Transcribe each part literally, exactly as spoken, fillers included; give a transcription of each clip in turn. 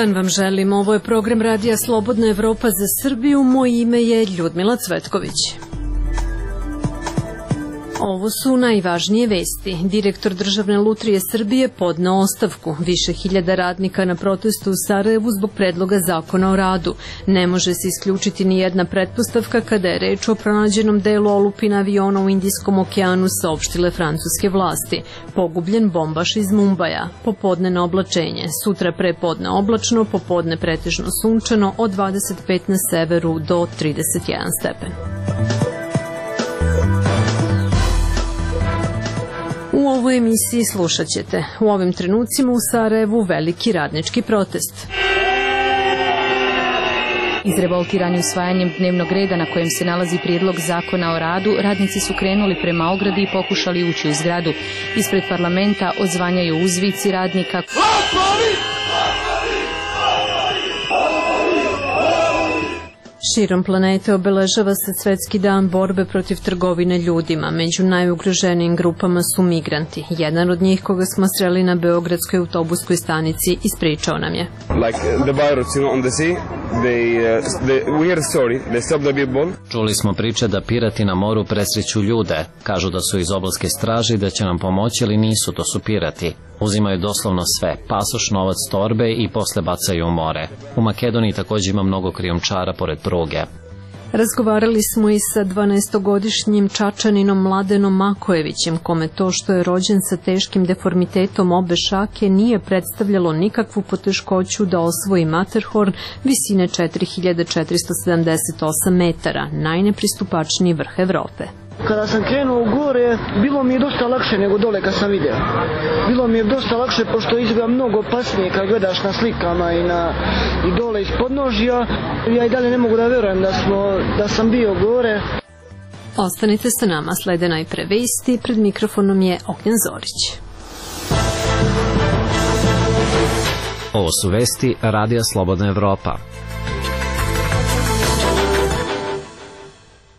dan vam želim. Ovo je program Radija Slobodna Evropa za Srbiju. Moje ime je Ljudmila Cvetković. Ovo su najvažnije vesti. Direktor Državne lutrije Srbije podneo ostavku. Više hiljada radnika na protestu u Sarajevu zbog predloga zakona o radu. Ne može se isključiti ni jedna pretpostavka kada je reč o pronađenom delu olupina aviona u Indijskom okeanu, saopštile francuske vlasti. Pogubljen bombaš iz Mumbaja. Popodnevno oblačenje. Sutra prepodne oblačno, popodne pretežno sunčano, od dvadeset pet na severu do trideset jedan stepen. U ovoj emisiji slušat ćete: u ovim trenucima u Sarajevu veliki radnički protest. Izrevoltirani usvajanjem dnevnog reda na kojem se nalazi prijedlog zakona o radu, radnici su krenuli prema ogradi i pokušali ući u zgradu. Ispred parlamenta odzvanjaju uzvici radnika. Širom planete obeležava se Svetski dan borbe protiv trgovine ljudima. Među najugroženijim grupama su migranti. Jedan od njih, koga smo sreli na beogradskoj autobuskoj stanici, ispričao nam je. Čuli smo priče da pirati na moru presreću ljude. Kažu da su iz obalske straže i da će nam pomoći, ali nisu, to su pirati. Uzimaju doslovno sve, pasoš, novac, torbe i posle bacaju u more. U Makedoniji također ima mnogo krijumčara pored pruge. Razgovarali smo i sa dvanaestogodišnjim Čačaninom Mladenom Makojevićem, kome to što je rođen sa teškim deformitetom obe šake nije predstavljalo nikakvu poteškoću da osvoji Matterhorn visine četiri hiljade četiristo sedamdeset osam metara, najnepristupačniji vrh Evrope. Kada sam krenuo u gore, bilo mi je dosta lakše nego dole kad sam vidio. Bilo mi je dosta lakše pošto izgleda mnogo opasnije kad gledaš na slikama i, na, i dole iz podnožja. Ja i dalje ne mogu da verujem da, smo, da sam bio gore. Ostanite sa nama, slede najpre vesti, pred mikrofonom je Ognjen Zorić. Ovo su vesti Radija Slobodna Evropa.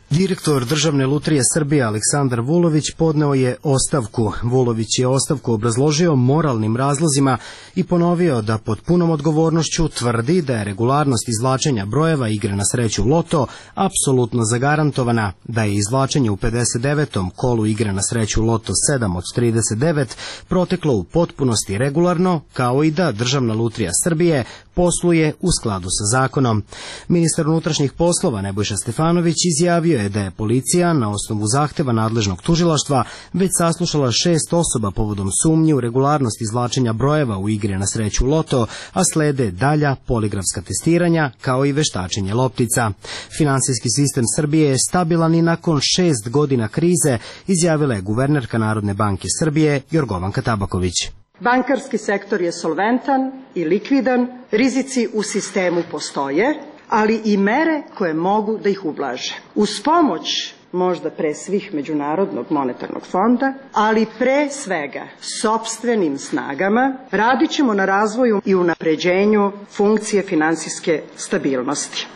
Direktor Državne lutrije Srbije Aleksandar Vulović podneo je ostavku. Vulović je ostavku obrazložio moralnim razlozima i ponovio da pod punom odgovornošću tvrdi da je regularnost izvlačenja brojeva igre na sreću Loto apsolutno zagarantovana, da je izvlačenje u pedeset devetom kolu igre na sreću Loto sedam od trideset devet proteklo u potpunosti regularno, kao i da Državna lutrija Srbije posluje u skladu sa zakonom. Ministar unutrašnjih poslova Nebojša Stefanović izjavio je da je policija na osnovu zahteva nadležnog tužilaštva već saslušala šest osoba povodom sumnje u regularnost izvlačenja brojeva u igri na sreću Loto, a slede dalja poligrafska testiranja kao i veštačenje loptica. Finansijski sistem Srbije je stabilan i nakon šest godina krize, izjavila je guvernerka Narodne banke Srbije Jorgovanka Tabaković. Bankarski sektor je solventan i likvidan, rizici u sistemu postoje, ali i mere koje mogu da ih ublaže. Uz pomoć možda pre svih Međunarodnog monetarnog fonda, ali pre svega sopstvenim snagama radit ćemo na razvoju i unapređenju funkcije finansijske stabilnosti.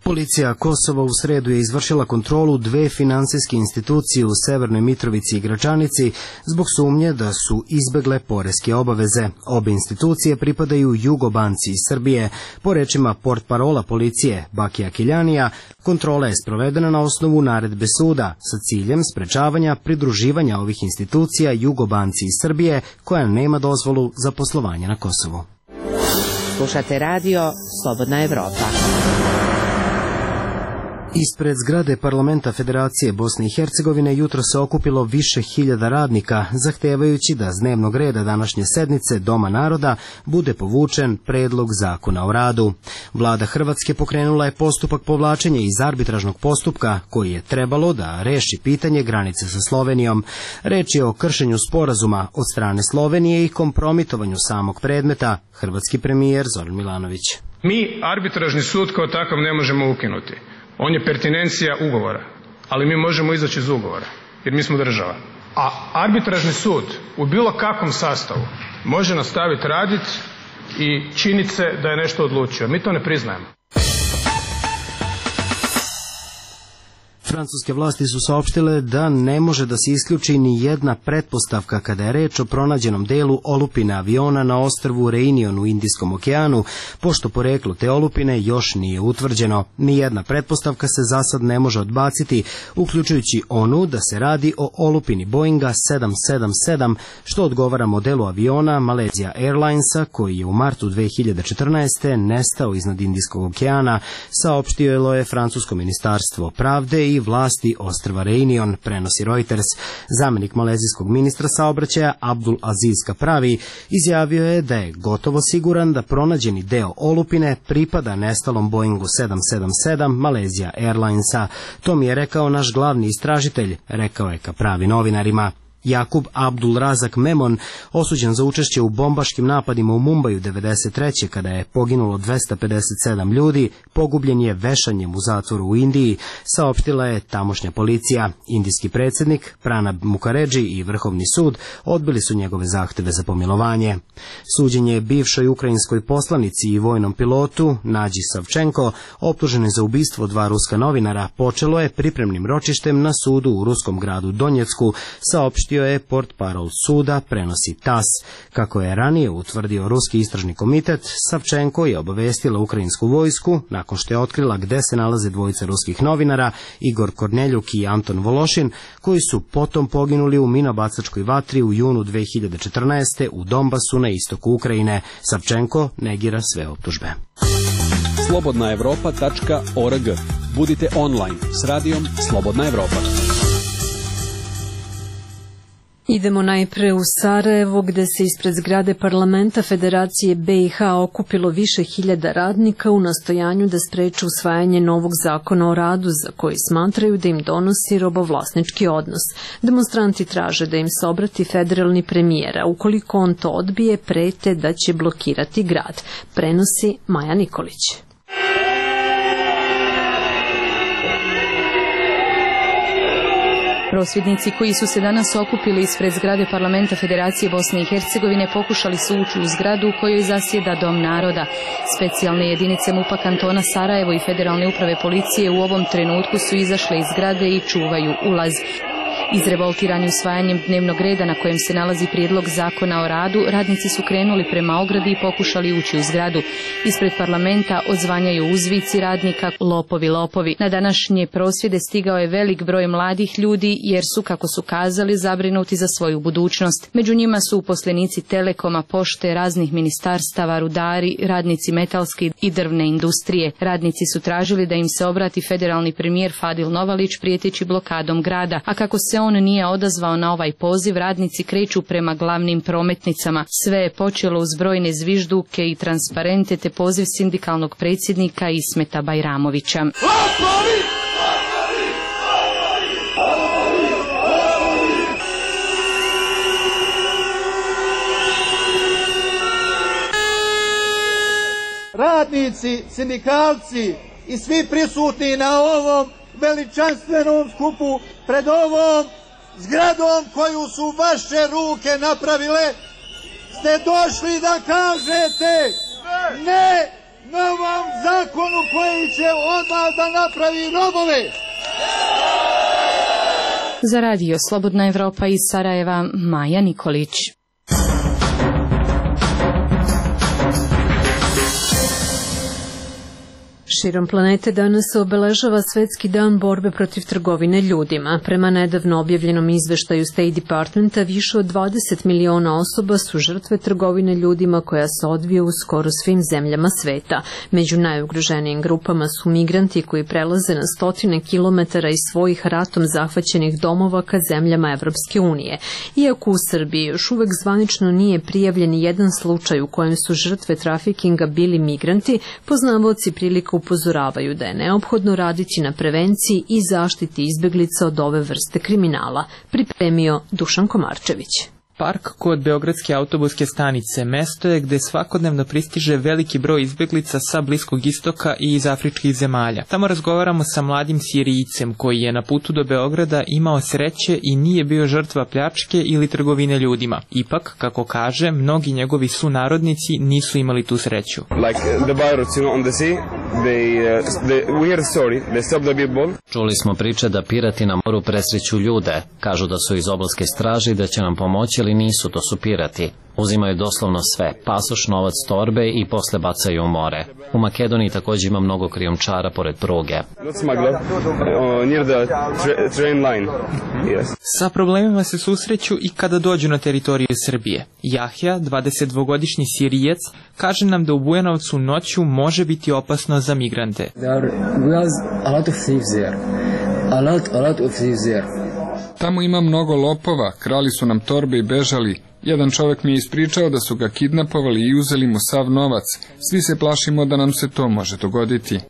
Policija Kosova u sredu je izvršila kontrolu dve finansijske institucije u Severnoj Mitrovici i Gračanici zbog sumnje da su izbegle poreske obaveze. Obe institucije pripadaju Jugobanci iz Srbije. Po rečima portparola policije Bakija Kiljanija, kontrola je sprovedena na osnovu naredbe suda sa ciljem sprečavanja pridruživanja ovih institucija Jugobanci iz Srbije koja nema dozvolu za poslovanje na Kosovu. Slušate radio Slobodna Evropa. Ispred zgrade parlamenta Federacije Bosne i Hercegovine jutro se okupilo više hiljada radnika, zahtevajući da s dnevnog reda današnje sednice Doma naroda bude povučen predlog zakona o radu. Vlada Hrvatske pokrenula je postupak povlačenja iz arbitražnog postupka koji je trebalo da reši pitanje granice sa Slovenijom. Reč je o kršenju sporazuma od strane Slovenije i kompromitovanju samog predmeta, hrvatski premijer Zoran Milanović. Mi arbitražni sud kao takav ne možemo ukinuti. On je pertinencija ugovora, ali mi možemo izaći iz ugovora, jer mi smo država. A arbitražni sud u bilo kakvom sastavu može nastaviti raditi i činiti se da je nešto odlučio. Mi to ne priznajemo. Francuske vlasti su saopštile da ne može da se isključi ni jedna pretpostavka kada je reč o pronađenom delu olupine aviona na ostrvu Reunion u Indijskom okeanu, pošto poreklo te olupine još nije utvrđeno. Nijedna pretpostavka se za sad ne može odbaciti, uključujući onu da se radi o olupini Boeinga sedam sedam sedam, što odgovara modelu aviona Malaysia Airlinesa, koji je u martu dve hiljade četrnaeste. nestao iznad Indijskog okeana, saopštilo je francusko ministarstvo pravde i vlasti ostrva Reunion, prenosi Reuters. Zamenik malezijskog ministra saobraćaja Abdul Aziz Kapravi izjavio je da je gotovo siguran da pronađeni deo olupine pripada nestalom Boeingu sedam sedam sedam Malaysia Airlinesa. To mi je rekao naš glavni istražitelj, rekao je Kapravi novinarima. Jakub Abdul Razak Memon, osuđen za učešće u bombaškim napadima u Mumbaju devedeset treće kada je poginulo dvesta pedeset sedam ljudi, pogubljen je vešanjem u zatvoru u Indiji, saopštila je tamošnja policija. Indijski predsjednik Pranab Mukherjee i Vrhovni sud odbili su njegove zahteve za pomilovanje. Suđenje bivšoj ukrajinskoj poslanici i vojnom pilotu Nađi Savčenko, optuženi za ubistvo dva ruska novinara, počelo je pripremnim ročištem na sudu u ruskom gradu Donjecku, saopštio je portparol suda, prenosi tas. Kako je ranije utvrdio ruski istražni komitet, Savčenko je obavestila ukrajinsku vojsku nakon što je otkrila gde se nalaze dvojica ruskih novinara, Igor Korneljuk i Anton Vološin, koji su potom poginuli u minobacačkoj vatri u junu dve hiljade četrnaeste. u Donbasu na istoku Ukrajine. Savčenko negira sve optužbe. slobodna evropa tačka org. Budite online s radijom Slobodna Evropa. Idemo najpre u Sarajevo, gde se ispred zgrade parlamenta Federacije be i ha okupilo više hiljada radnika u nastojanju da spreče usvajanje novog zakona o radu, za koji smatraju da im donosi robovlasnički odnos. Demonstranti traže da im se obrati federalni premijer, a ukoliko on to odbije, prete da će blokirati grad. Prenosi Maja Nikolić. Prosvjednici koji su se danas okupili ispred zgrade parlamenta Federacije Bosne i Hercegovine pokušali su ući u zgradu u kojoj zasjeda Dom naroda. Specijalne jedinice MUP-a kantona Sarajevo i Federalne uprave policije u ovom trenutku su izašle iz zgrade i čuvaju ulaz. Izrevoltirani usvajanjem dnevnog reda na kojem se nalazi prijedlog zakona o radu, radnici su krenuli prema ogradi i pokušali ući u zgradu. Ispred parlamenta odzvanjaju uzvici radnika lopovi, lopovi. Na današnje prosvjede stigao je velik broj mladih ljudi jer su, kako su kazali, zabrinuti za svoju budućnost. Među njima su uposlenici Telekoma, pošte, raznih ministarstava, rudari, radnici metalske i drvne industrije. Radnici su tražili da im se obrati federalni premijer Fadil Novalić prijeteći blokadom grada, a kako se on nije odazvao na ovaj poziv, radnici kreću prema glavnim prometnicama. Sve je počelo uz brojne zvižduke i transparente te poziv sindikalnog predsjednika Ismeta Bajramovića. Radnici, sindikalci i svi prisutni na ovom veličanstvenom skupu pred ovom zgradom koju su vaše ruke napravile, ste došli da kažete ne novom zakonu koji će odmah da napravi robove. Za radio Slobodna Evropa iz Sarajeva, Maja Nikolić. Širom planete danas se obeležava Svetski dan borbe protiv trgovine ljudima. Prema nedavno objavljenom izveštaju State Departmenta, više od dvadeset miliona osoba su žrtve trgovine ljudima koja se odvija u skoro svim zemljama sveta. Među najugroženijim grupama su migranti koji prelaze na stotine kilometara iz svojih ratom zahvaćenih domova ka zemljama Evropske unije. Iako u Srbiji još uvek zvanično nije prijavljen jedan slučaj u kojem su žrtve trafikinga bili migranti, poznavaoci prilika upozoravaju da je neophodno raditi na prevenciji i zaštiti izbeglica od ove vrste kriminala, pripremio Dušan Komarčević. Park kod Beogradske autobuske stanice mesto je gde svakodnevno pristiže veliki broj izbeglica sa Bliskog istoka i iz afričkih zemalja. Tamo razgovaramo sa mladim Sirijcem koji je na putu do Beograda imao sreće i nije bio žrtva pljačke ili trgovine ljudima. Ipak, kako kaže, mnogi njegovi sunarodnici nisu imali tu sreću. Like the virus, you know, on the sea. they, uh, they, we hear the story, they stop the people. Čuli smo priče da pirati na moru presreću ljude. Kažu da su iz obalske straže i da će nam pomoći, ali nisu, to su pirati. Uzimaju doslovno sve, pasoš, novac, torbe i posle bacaju u more. U Makedoniji također ima mnogo krijumčara pored pruge. Sa problemima se susreću i kada dođu na teritoriju Srbije. Jahja, dvadesetdvogodišnji Sirijac, kaže nam da u Bujanovcu noću može biti opasno za migrante. Tamo ima mnogo lopova, krali su nam torbe i bežali. Jedan čovjek mi je ispričao da su ga kidnapovali i uzeli mu sav novac. Svi se plašimo da nam se to može dogoditi.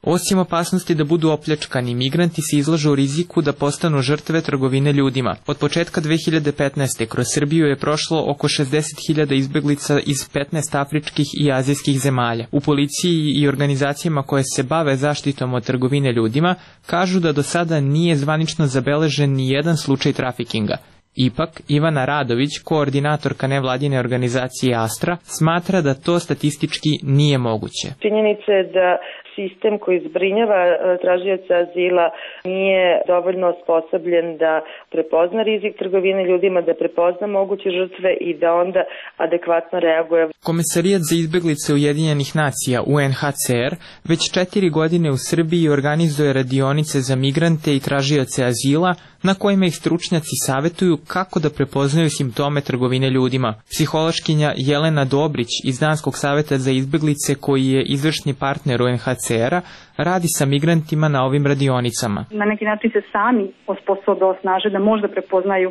Osim opasnosti da budu opljačkani, migranti se izlažu u riziku da postanu žrtve trgovine ljudima. Od početka dve hiljade petnaeste. kroz Srbiju je prošlo oko šezdeset hiljada izbeglica iz petnaest afričkih i azijskih zemalja. U policiji i organizacijama koje se bave zaštitom od trgovine ljudima kažu da do sada nije zvanično zabeležen ni jedan slučaj trafikinga. Ipak, Ivana Radović, koordinatorka nevladine organizacije Astra, smatra da to statistički nije moguće. Činjenica je da sistem koji zbrinjava tražioca azila nije dovoljno osposobljen da prepozna rizik trgovine ljudima, da prepozna moguće žrtve i da onda adekvatno reaguje. Komesarijat za izbeglice Ujedinjenih nacija U N H C R već četiri godine u Srbiji organizuje radionice za migrante i tražioce azila na kojima ih stručnjaci savjetuju kako da prepoznaju simptome trgovine ljudima. Psihološkinja Jelena Dobrić iz Danskog savjeta za izbeglice, koji je izvršni partner U N H C R-a, radi sa migrantima na ovim radionicama. Na neki način se sami osposobe, osnaže da možda prepoznaju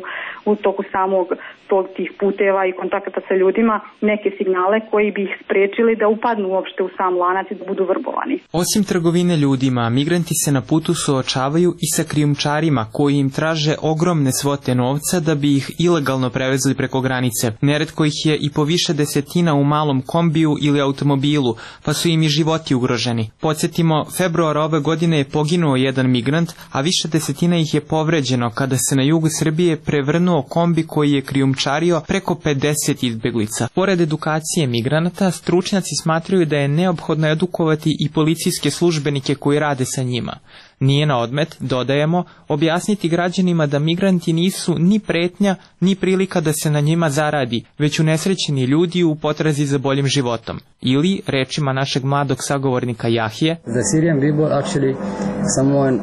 u toku samog tog tih puteva i kontakata sa ljudima neke signale koji bi ih sprečili da upadnu uopšte u sam lanac i da budu vrbovani. Osim trgovine ljudima, migranti se na putu suočavaju i sa krijumčarima koji im traže ogromne svote novca da bi ih ilegalno prevezli preko granice. Neretko ih je i po više desetina u malom kombiju ili automobilu, pa su im i životi ugroženi. Podsjetimo, februara ove godine je poginuo jedan migrant, a više desetina ih je povređeno kada se na jugu Srbije prevrnuo kombi koji je krijumčario preko pedeset izbeglica. Pored edukacije migranata, stručnjaci smatraju da je neophodno edukovati i policijske službenike koji rade sa njima. Nije na odmet, dodajemo, objasniti građanima da migranti nisu ni pretnja, ni prilika da se na njima zaradi, već unesrećeni ljudi u potrazi za boljim životom. Ili, rečima našeg mladog sagovornika Jahije, The Syrian people actually someone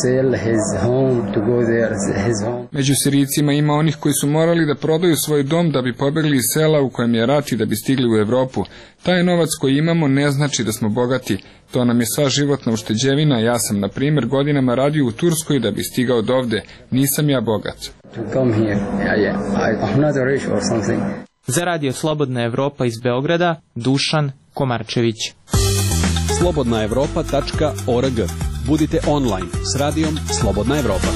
sell his home to go there, his home. Među Sirijcima ima onih koji su morali da prodaju svoj dom da bi pobegli iz sela u kojem je rat i da bi stigli u Evropu. Taj novac koji imamo ne znači da smo bogati. To nam je sva životna ušteđevina. Ja sam, na primjer, godinama radio u Turskoj da bi stigao dovde. Nisam ja bogat. To come here. Yeah, yeah. I'm not rich or something. Za Radio Slobodna Evropa iz Beograda, Dušan Komarčević. slobodna evropa tačka org. Budite online s radijom Slobodna Evropa.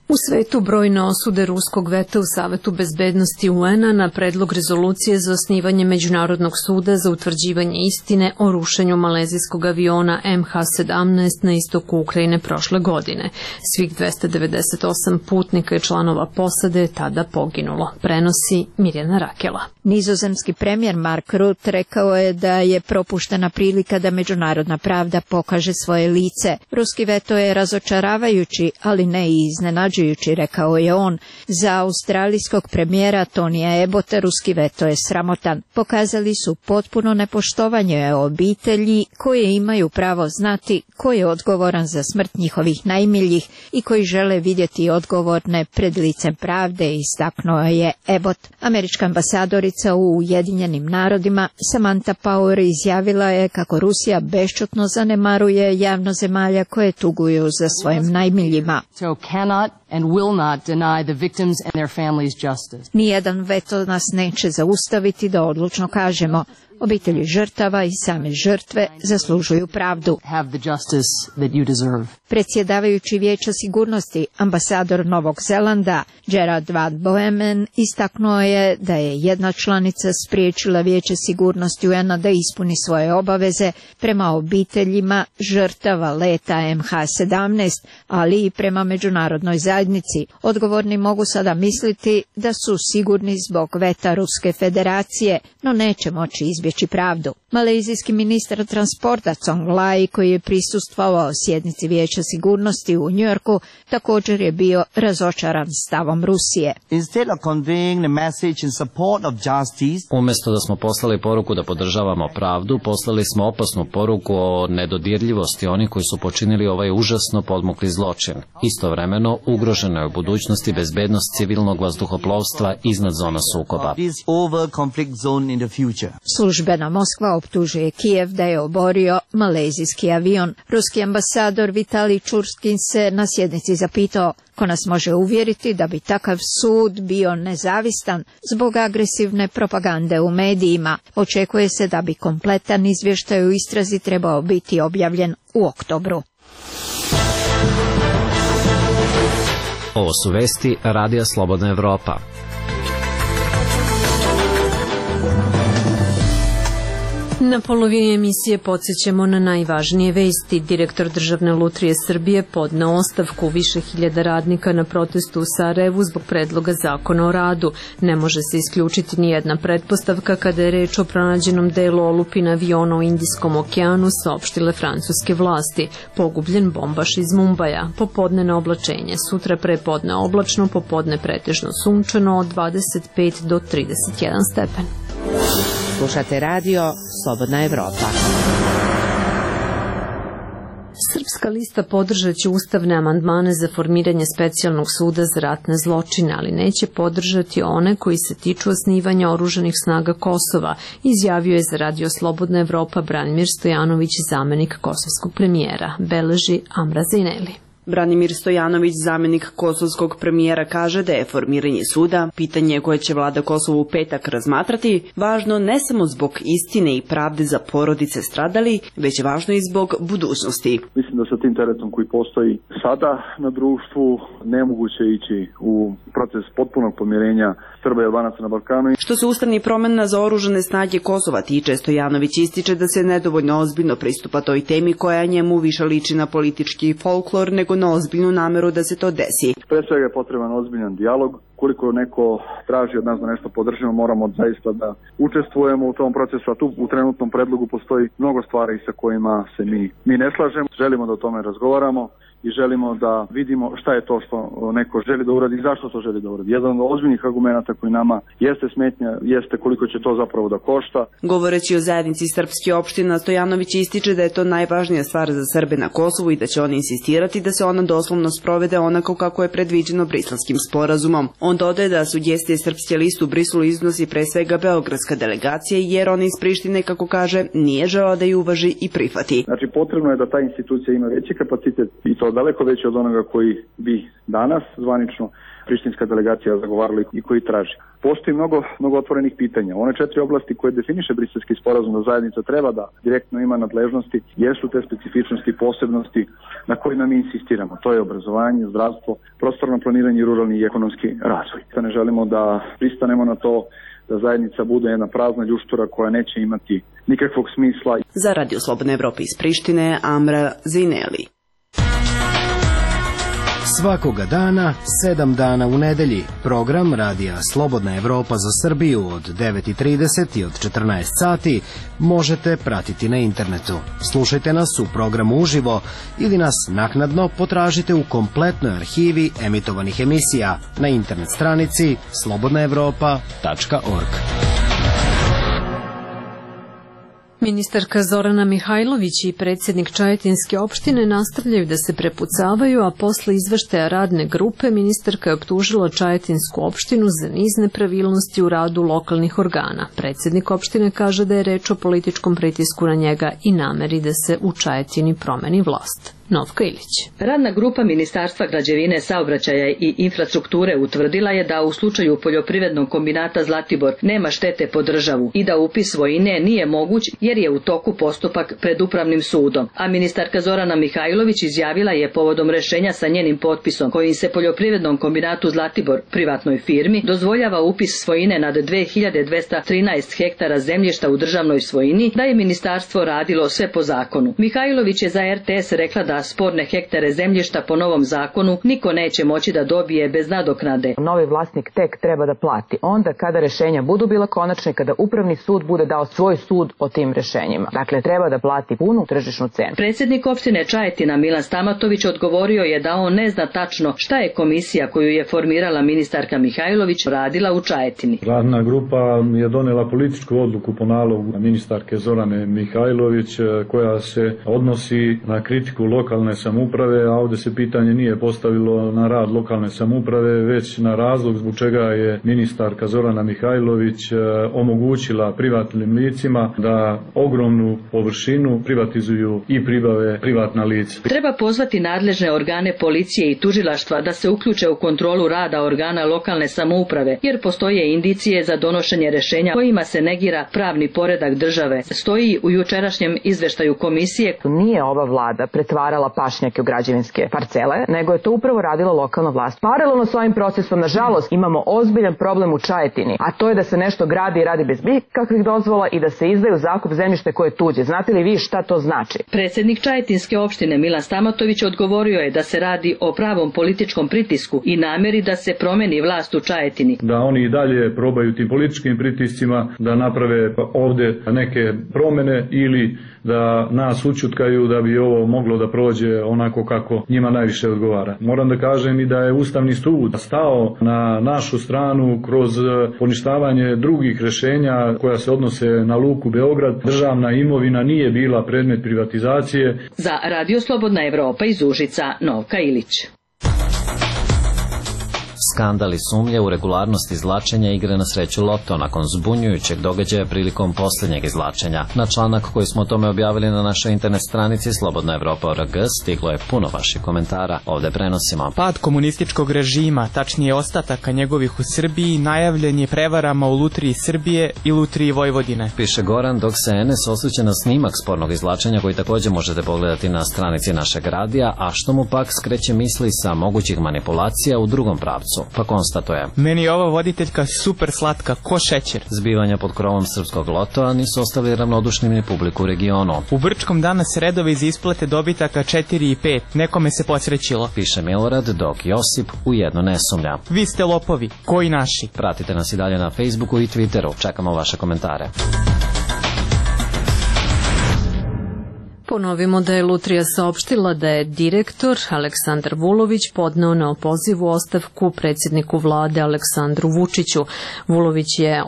U svetu brojne osude ruskog veta u Savetu bezbednosti U N-a na predlog rezolucije za osnivanje Međunarodnog suda za utvrđivanje istine o rušenju malezijskog aviona M H sedamnaest na istoku Ukrajine prošle godine. Svih dvesta devedeset osam putnika i članova posade je tada poginulo, prenosi Mirjana Rakela. Nizozemski premijer Mark Rutte rekao je da je propuštena prilika da međunarodna pravda pokaže svoje lice. Ruski veto je razočaravajući, ali ne i iznenađujući, rekao je on. Za australijskog premijera Tonija Ebota ruski veto je sramotan. Pokazali su potpuno nepoštovanje obitelji koje imaju pravo znati ko je odgovoran za smrt njihovih najmiljih i koji žele vidjeti odgovorne pred licem pravde, istaknuo je Ebot. Američka ambasadorica u Ujedinjenim narodima Samantha Power izjavila je kako Rusija bešćutno zanemaruje javno zemalja koje tuguju za svojim najmiljima. So cannot and will not deny the victims and their families justice. Nijedan veto nas neće zaustaviti da odlučno kažemo: obitelji žrtava i same žrtve zaslužuju pravdu. Have the justice that you deserve. Predsjedavajući Vijeća sigurnosti, ambasador Novog Zelanda Gerard Van Boemen istaknuo je da je jedna članica spriječila Vijeće sigurnosti U N-a da ispuni svoje obaveze prema obiteljima žrtava leta M H sedamnaest, ali i prema međunarodnoj zajednici. Odgovorni mogu sada misliti da su sigurni zbog veta Ruske federacije, no neće moći izbjeći pravdu. Malezijski ministar transporta Cong Lai, koji je prisustvovao sjednici Vijeća sigurnosti u Njujorku, također je bio razočaran stavom Rusije. Umjesto da smo poslali poruku da podržavamo pravdu, poslali smo opasnu poruku o nedodirljivosti onih koji su počinili ovaj užasno podmukli zločin. Istovremeno, ugrožena je u budućnosti bezbednost civilnog vazduhoplovstva iznad zona sukoba. Službena Moskva optužuje Kijev da je oborio malezijski avion. Ruski ambasador Vitalij Čurskin se na sjednici zapitao ko nas može uvjeriti da bi takav sud bio nezavistan zbog agresivne propagande u medijima. Očekuje se da bi kompletan izvještaj u istrazi trebao biti objavljen u oktobru. Ovo su vesti Radija Slobodna Evropa. Na polovini emisije podsjećamo na najvažnije vesti. Direktor Državne lutrije Srbije podneo ostavku. Više hiljada radnika na protestu u Sarajevu zbog predloga zakona o radu. Ne može se isključiti ni jedna pretpostavka kada je reč o pronađenom delu olupina aviona u Indijskom okeanu, saopštile francuske vlasti. Pogubljen bombaš iz Mumbaja. Popodnevno oblačenje. Sutra prepodne oblačno, popodne pretežno sunčano od dvadeset pet do trideset jedan stepen. Slušate radio Slobodna Evropa. Srpska lista podržat će ustavne amandmane za formiranje specijalnog suda za ratne zločine, ali neće podržati one koji se tiču osnivanja oružanih snaga Kosova, izjavio je za radio Slobodna Evropa Branimir Stojanović, zamenik kosovskog premijera, beleži Amra Zineli. Branimir Stojanović, zamenik kosovskog premijera, kaže da je formiranje suda pitanje koje će vlada Kosova u petak razmatrati važno ne samo zbog istine i pravde za porodice stradali, već je važno i zbog budućnosti. Mislim da sa tim teretom koji postoji sada na društvu nemoguće ići u proces potpunog pomirenja Srba i Albanaca na Balkanu. Što se ustavnih promjena za oružane snage Kosova tiče, Stojanović ističe da se nedovoljno ozbiljno pristupa toj temi koja njemu više liči na politički folklor nego na ozbiljnu nameru da se to desi. Pre svega je potreban ozbiljan dijalog. Koliko neko traži od nas da nešto podržimo, moramo zaista da učestvujemo u tom procesu, a tu u trenutnom predlogu postoji mnogo stvari sa kojima se mi, mi ne slažemo. Želimo da o tome razgovaramo i želimo da vidimo šta je to što neko želi da uradi i zašto to želi da uradi. Jedan od ozbiljnih argumenata koji nama jeste smetnja, jeste koliko će to zapravo da košta. Govoreći o zajednici srpskih opština, Stojanović ističe da je to najvažnija stvar za Srbe na Kosovu i da će oni insistirati da se ona doslovno sprovede onako kako je predviđeno Briselskim sporazumom. On dodaje da sugestije Srpske liste u Briselu iznosi pre svega beogradska delegacija, jer on iz Prištine, kako kaže, nije želeo da ju uvaži i prihvati. Znači, potrebno je da ta institucija ima veći kapacitet i to daleko veći od onoga koji bi danas zvanično prištinska delegacija zagovarala i koji traži. Postoji mnogo, mnogo otvorenih pitanja. One četiri oblasti koje definiše Briselski sporazum da zajednica treba da direktno ima nadležnosti jesu te specifičnosti i posebnosti na kojima mi insistiramo. To je obrazovanje, zdravstvo, prostorno planiranje i ruralni i ekonomski razvoj. Ne želimo da pristanemo na to da zajednica bude jedna prazna ljuštura koja neće imati nikakvog smisla. Za Radio Slobodne Evrope iz Prištine, Amra Zineli. Svakoga dana, sedam dana u nedelji, program Radija Slobodna Evropa za Srbiju od devet i trideset i od četrnaest sati možete pratiti na internetu. Slušajte nas u programu uživo ili nas naknadno potražite u kompletnoj arhivi emitovanih emisija na internet stranici slobodna evropa tačka org. Ministarka Zorana Mihajlović i predsjednik Čajetinske opštine nastavljaju da se prepucavaju, a posle izveštaja radne grupe ministarka je optužila Čajetinsku opštinu za niz nepravilnosti u radu lokalnih organa. Predsjednik opštine kaže da je reč o političkom pritisku na njega i nameri da se u Čajetini promeni vlast. Novka Ilić. Radna grupa Ministarstva građevine, saobraćaja i infrastrukture utvrdila je da u slučaju poljoprivrednog kombinata Zlatibor nema štete po državu i da upis svojine nije moguć jer je u toku postupak pred upravnim sudom. A ministarka Zorana Mihajlović izjavila je povodom rešenja sa njenim potpisom kojim se poljoprivrednom kombinatu Zlatibor, privatnoj firmi, dozvoljava upis svojine nad dve hiljade dvesta trinaest hektara zemljišta u državnoj svojini, da je ministarstvo radilo sve po zakonu. Mihajlović je za R T S rekla da sporne hektare zemljišta po novom zakonu niko neće moći da dobije bez nadoknade. Novi vlasnik tek treba da plati onda kada rešenja budu bila konačne, kada upravni sud bude dao svoj sud o tim rešenjima. Dakle, treba da plati punu tržišnu cenu. Predsjednik opštine Čajetina Milan Stamatović odgovorio je da on ne zna tačno šta je komisija koju je formirala ministarka Mihajlović radila u Čajetini. Radna grupa je donela političku odluku po nalogu ministarke Zorane Mihajlović koja se odnosi na kritiku lokalne samouprave, a ovdje se pitanje nije postavilo na rad lokalne samouprave, već na razlog zbog čega je ministarka Zorana Mihajlović omogućila privatnim licima da ogromnu površinu privatizuju i pribave privatna lica. Treba pozvati nadležne organe policije i tužilaštva da se uključe u kontrolu rada organa lokalne samouprave, jer postoje indicije za donošenje rešenja kojima se negira pravni poredak države. Stoji u jučerašnjem izveštaju komisije. Nije ova vlada pretvarala pašnjake u građevinske parcele, nego je to upravo radila lokalna vlast. Paralelno s ovim procesom, nažalost, imamo ozbiljan problem u Čajetini, a to je da se nešto gradi i radi bez kakvih dozvola i da se izdaju zakup zemljište koje je tuđe. Znate li vi šta to znači? Predsjednik Čajetinske opštine Milan Stamatović odgovorio je da se radi o pravom političkom pritisku i namjeri da se promeni vlast u Čajetini. Da oni i dalje probaju tim političkim pritiscima da naprave ovdje neke promjene ili da nas ućutkaju da bi ovo moglo da prođe onako kako njima najviše odgovara. Moram da kažem i da je Ustavni sud stao na našu stranu kroz poništavanje drugih rešenja koja se odnose na Luku Beograd. Državna imovina nije bila predmet privatizacije. Za Radio Slobodna Evropa iz Užica, Novka Ilić. Skandal i sumnje u regularnost izvlačenja igre na sreću Loto nakon zbunjujućeg događaja prilikom posljednjeg izvlačenja. Na članak koji smo o tome objavili na našoj internet stranici Slobodna Evropa org stiglo je puno vaših komentara. Ovdje prenosimo. Pad komunističkog režima, tačnije ostataka njegovih u Srbiji, najavljen je prevarama u Lutriji Srbije i Lutriji Vojvodine. Piše Goran, dok se N S osvrće na snimak spornog izvlačenja koji također možete pogledati na stranici našeg radija, a što mu pak skreće misli sa mogućih manipulacija u drugom pravcu. Pa konstatuje. Meni je ova voditeljka super slatka, ko šećer. Zbivanja pod krovom srpskog lotoa nisu ostavili ravnodušnim ni publiku u regionu. U Brčkom danas redovi za isplate dobitaka četiri i pet. Nekome se posrećilo. Piše Milorad, dok Josip u jedno ne sumnja. Vi ste lopovi, koji naši. Pratite nas i dalje na Facebooku i Twitteru. Čekamo vaše komentare. Ponovimo da je Lutrija saopštila da je direktor Aleksandar Vulović podneo na opozivu ostavku predsjedniku vlade Aleksandru Vučiću. Vulović je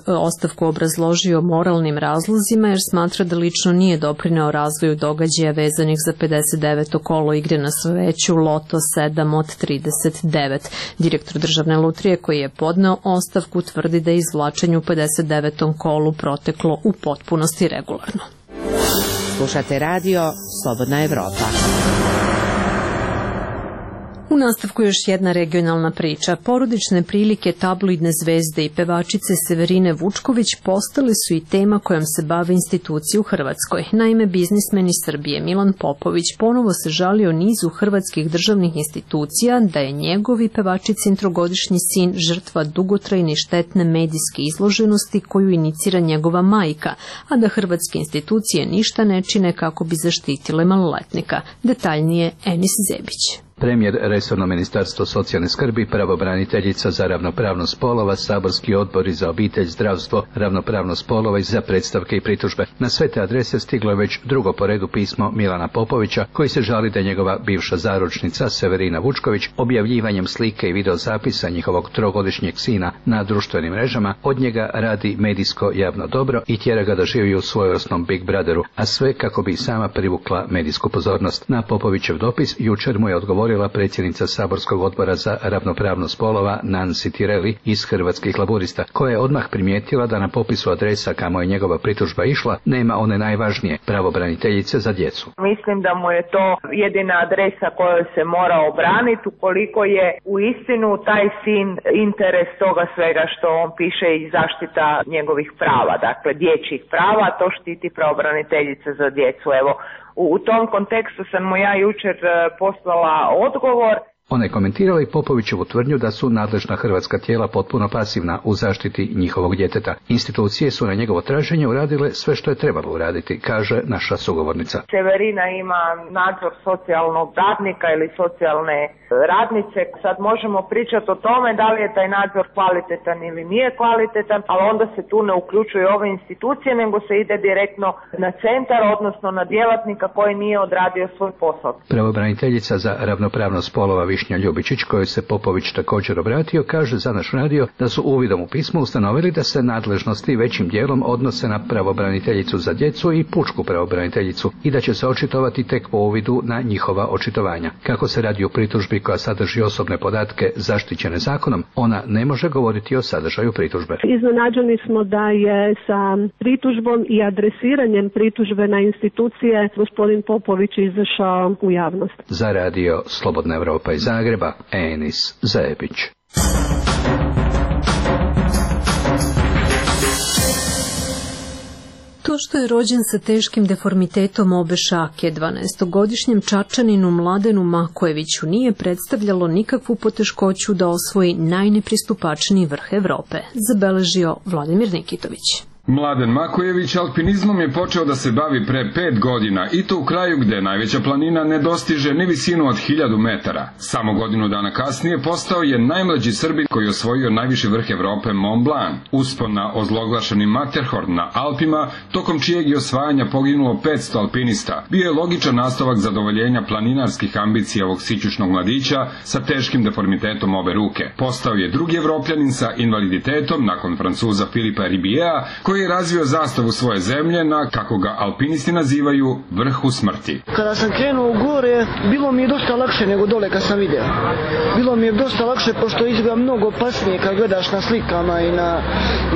ostavku obrazložio moralnim razlozima jer smatra da lično nije doprineo razvoju događaja vezanih za pedeset deveto kolo igre na sreću Loto sedam od trideset devet. Direktor državne lutrije koji je podneo ostavku tvrdi da je izvlačenje u pedeset devetom kolu proteklo u potpunosti regularno. Slušate radio Slobodna Evropa. U nastavku još jedna regionalna priča. Porodične prilike tabloidne zvezde i pevačice Severine Vučković postale su i tema kojom se bave institucije u Hrvatskoj. Naime, biznismen iz Srbije Milan Popović ponovo se žalio nizu hrvatskih državnih institucija da je njegovi pevačicin trogodišnji sin žrtva dugotrajne i štetne medijske izloženosti koju inicira njegova majka, a da hrvatske institucije ništa ne čine kako bi zaštitile maloletnika. Detaljnije Enis Zebić. Premijer, resorno ministarstvo socijalne skrbi, pravobraniteljica za ravnopravnost spolova, saborski odbori za obitelj, zdravstvo, ravnopravnost spolova i za predstavke i pritužbe. Na sve te adrese stiglo je već drugo po redu pismo Milana Popovića, koji se žali da njegova bivša zaručnica Severina Vučković objavljivanjem slike i videozapisa njihovog trogodišnjeg sina na društvenim mrežama od njega radi medijsko javno dobro i tjera ga da živi u svojevrsnom Big Brotheru, a sve kako bi sama privukla medijsku pozornost. Na Popovićev dopis jučer mu je odgovorio govorila predsjednica saborskog odbora za ravnopravnost spolova Nancy Tireli iz Hrvatskih laburista, koja je odmah primijetila da na popisu adresa kamo je njegova pritužba išla nema one najvažnije, pravobraniteljice za djecu. Mislim da mu je to jedina adresa kojoj se mora obraniti ukoliko je u istinu taj sin interes toga svega što on piše i zaštita njegovih prava, dakle dječjih prava, to štiti pravobraniteljica za djecu. Evo, u, u tom kontekstu sam mu ja jučer poslala odgovor. Ona je komentirala i Popovićevu tvrdnju da su nadležna hrvatska tijela potpuno pasivna u zaštiti njihovog djeteta. Institucije su na njegovo traženje uradile sve što je trebalo uraditi, kaže naša sugovornica. Severina ima nadzor socijalnog radnika ili socijalne radnice. Sad možemo pričati o tome da li je taj nadzor kvalitetan ili nije kvalitetan, ali onda se tu ne uključuju ove institucije, nego se ide direktno na centar, odnosno na djelatnika koji nije odradio svoj posao. Pravobraniteljica za ravnopravnost spolova Višnja Ljubičić, kojoj se Popović također obratio, kaže za naš radio da su uvidom u pismu ustanovili da se nadležnosti većim dijelom odnose na pravobraniteljicu za djecu i pučku pravobraniteljicu i da će se očitovati tek po uvidu na njihova očitovanja. Kako se radi o pritužbi koja sadrži osobne podatke zaštićene zakonom, ona ne može govoriti o sadržaju pritužbe. Iznenađeni smo da je sa pritužbom i adresiranjem pritužbe na institucije gospodin Popović izašao u javnost. Za radio Slobodna Evropa iz Zagreba, Enis Zajebić. To što je rođen sa teškim deformitetom obe šake, dvanaestogodišnjem Čačaninu Mladenu Makojeviću nije predstavljalo nikakvu poteškoću da osvoji najnepristupačniji vrh Evrope, zabeležio Vladimir Nikitović. Mladen Makojević alpinizmom je počeo da se bavi pre pet godina i to u kraju gde najveća planina ne dostiže ni visinu od hiljadu metara. Samo godinu dana kasnije postao je najmlađi Srbin koji je osvojio najviši vrh Evrope Mont Blanc, uspon na ozloglašeni Matterhorn na Alpima, tokom čijeg je osvajanja poginulo petsto alpinista. Bio je logičan nastavak zadovoljenja planinarskih ambicija ovog sićušnog mladića sa teškim deformitetom obe ruke. Postao je drugi Evropljanin sa invaliditetom nakon Francuza Filipa Ribiera, koji je razvio zastavu svoje zemlje na, kako ga alpinisti nazivaju, vrhu smrti. Kada sam krenuo u gore, bilo mi je dosta lakše nego dole kad sam video. Bilo mi je dosta lakše pošto izgleda mnogo opasnije kad gledaš na slikama i, na,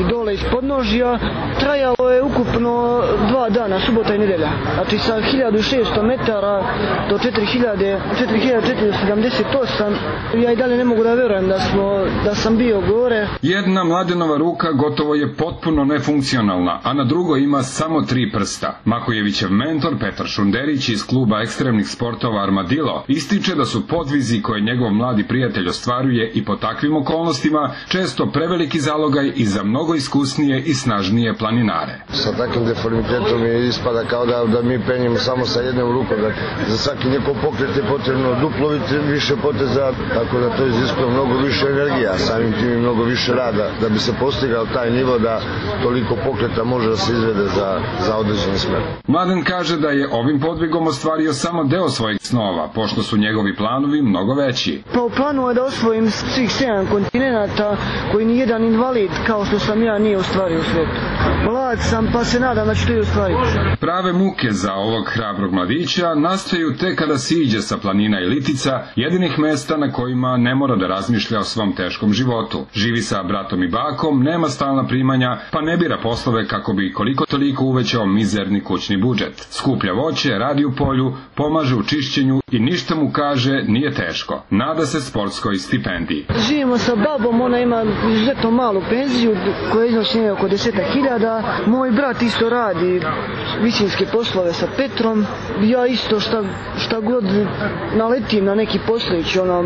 i dole iz podnožja. Trajalo je ukupno dva dana, subota i nedelja. Znači sa hiljadu šesto metara do četiri hiljade četiristo sedamdeset osam. Ja i dalje ne mogu da verujem da, smo, da sam bio gore. Jedna Mladenova ruka gotovo je potpuno nefunkcionalna, a na drugoj ima samo tri prsta. Makojevićev mentor Petar Šunderić iz kluba ekstremnih sportova Armadillo ističe da su podvizi koje njegov mladi prijatelj ostvaruje i po takvim okolnostima često preveliki zalogaj i za mnogo iskusnije i snažnije planinare. Sa takvim deformitetom je ispada kao da, da mi penjemo samo sa jednom rukom, da za svaki njegov pokret je potrebno duplo više poteza, tako da to iziskuje mnogo više energija, samim tim i mnogo više rada da bi se postigao taj nivo da toliko pokreta može da se izvede za, za određeni smer. Mladen kaže da je ovim podvigom ostvario samo deo svojih snova, pošto su njegovi planovi mnogo veći. Pa u planu je da osvojim svih sedam kontinenata koji ni jedan invalid kao što sam ja nije ostvario u svijetu. Mlad sam pa se nadam da ću to i ostvariti. Prave muke za ovog hrabrog mladića nastaju te kada siđe sa planina i litica, jedinih mesta na kojima ne mora da razmišlja o svom teškom životu. Živi sa bratom i bakom, nema stalna primanja, pa ne bira poslove kako bi koliko toliko uvećao mizerni kućni budžet. Skuplja voće, radi u polju, pomaže u čišćenju i ništa mu, kaže, nije teško. Nada se sportskoj stipendiji. Živimo sa babom, ona ima izuzetno malu penziju koja iznosi oko deset hiljada. Moj brat isto radi visinske poslove sa Petrom. Ja isto šta, šta god naletim na neki poslić, ono,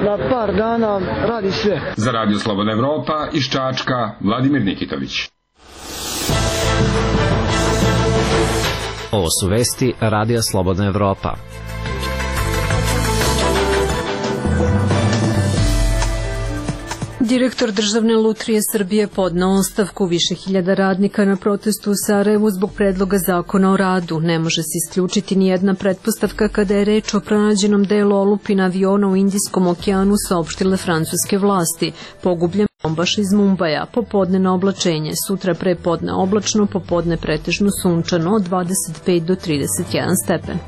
na par dana radi sve. Za radio Slobodna Evropa iz Čačka, Vladimir Nikitović. Ovo su vesti Radija Slobodna Evropa. Direktor Državne lutrije Srbije podneo ostavku. Više hiljada radnika na protestu u Sarajevu zbog predloga zakona o radu. Ne može se isključiti ni jedna pretpostavka kada je reč o pronađenom delu olupina aviona u Indijskom okeanu, saopštile francuske vlasti. Pogubljen bombaš iz Mumbaja. Popodne na oblačenje, sutra prepodne oblačno, popodne pretežno sunčano od dvadeset pet do trideset jedan stepen.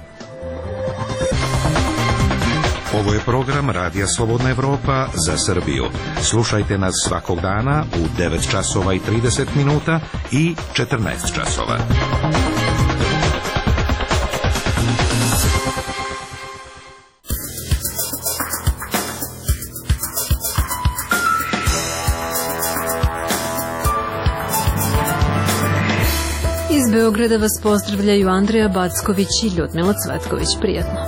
Ovo je program Radija Slobodna Evropa za Srbiju. Slušajte nas svakog dana u devet časova i trideset minuta i četrnaest časova. Iz Beograda vas pozdravljaju Andreja Backović i Ljudmila Cvetković. Prijatno.